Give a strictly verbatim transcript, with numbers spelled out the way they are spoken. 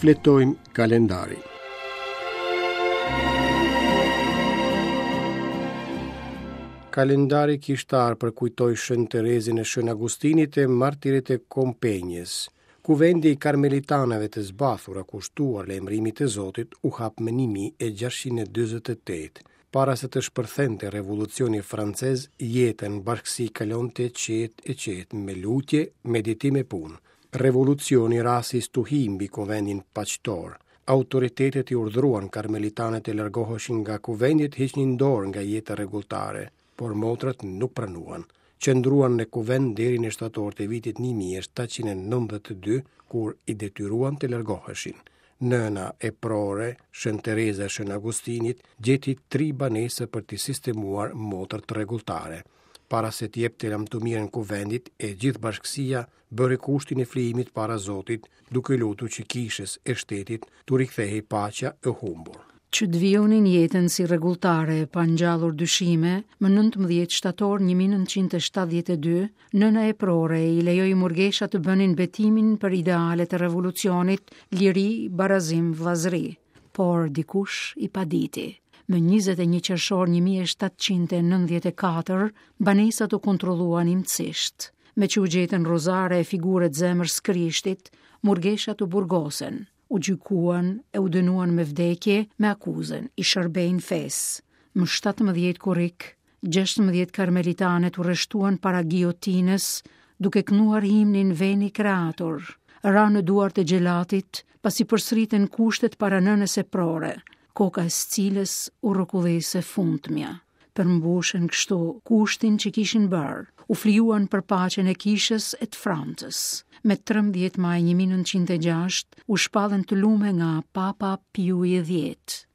Shfletojmë kalendarin. Kalendari kishtar përkujtoi Shën Terezën e Shën Agustinit e martirët e Kompenjës. Kuvendi i Karmelitaneve të zbathura kushtuar lajmërimit të Zotit u hap më një mijë e gjashtëqind e dyzet e tetë. Para se të shpërthente revolucioni francez, jeta në bashkësi kalonte qetë e qetë me lutje, meditim e punë. Revolucioni ra si stuhi mbi kuvendin paqtor. Autoritetet i urdhëruan karmelitanët të largoheshin nga kuvendi e të hiqnin dorë nga jeta rregulltare, por motrat nuk pranuan. Qëndruan në kuvend deri në shtator të vitit një mijë e shtatëqind e nëntëdhjetë e dy, kur i detyruan të largoheshin. Nëna eprore, Shën Tereza e Shën Agustinit, gjeti tri banesa për t'i sistemuar motrat rregulltare. Para se t'i jepte lamtumirën kuvendit, e gjithë bashkësia bëri kushtin e flijimit para Zotit, duke lutur që kishës e shtetit t'u rikthehej paqja e humbur. Që të vijonin jetën si rregulltare pa ngjallur dyshime, më nëntëmbëdhjetë shtator një mijë e nëntëqind e shtatëdhjetë e dy, nëna eprore i lejoi murgeshat të bënin betimin për idealet e revolucionit, liri, barazim, vëllazëri. Por dikush i paditi. Më njëzet e një qershor një mijë e shtatëqind e nëntëdhjetë e katër, banesat u kontrolluan imtësisht. Me që u gjetën rozare e figuret zemrës Krishtit, murgeshat u burgosen, u gjykuan e u dënuan me vdekje me akuzën i shërbejnë fesë. Më shtatëmbëdhjetë korrik, gjashtëmbëdhjetë karmelitanet u rreshtuan para gijotinës, duke kënduar himnin Veni Creator. Ra në duart e xhelatit, pasi përsëritën kushtet para nënës eprore, koka e së cilës u rrokullis e fundmja. Përmbushën kështu kushtin që kishin bërë, u flijuan për paqen e kishës e të Francës. Me trembëdhjetë maj një mijë e nëntëqind e gjashtë u shpallën të lume nga Papa Piu i dhjetë.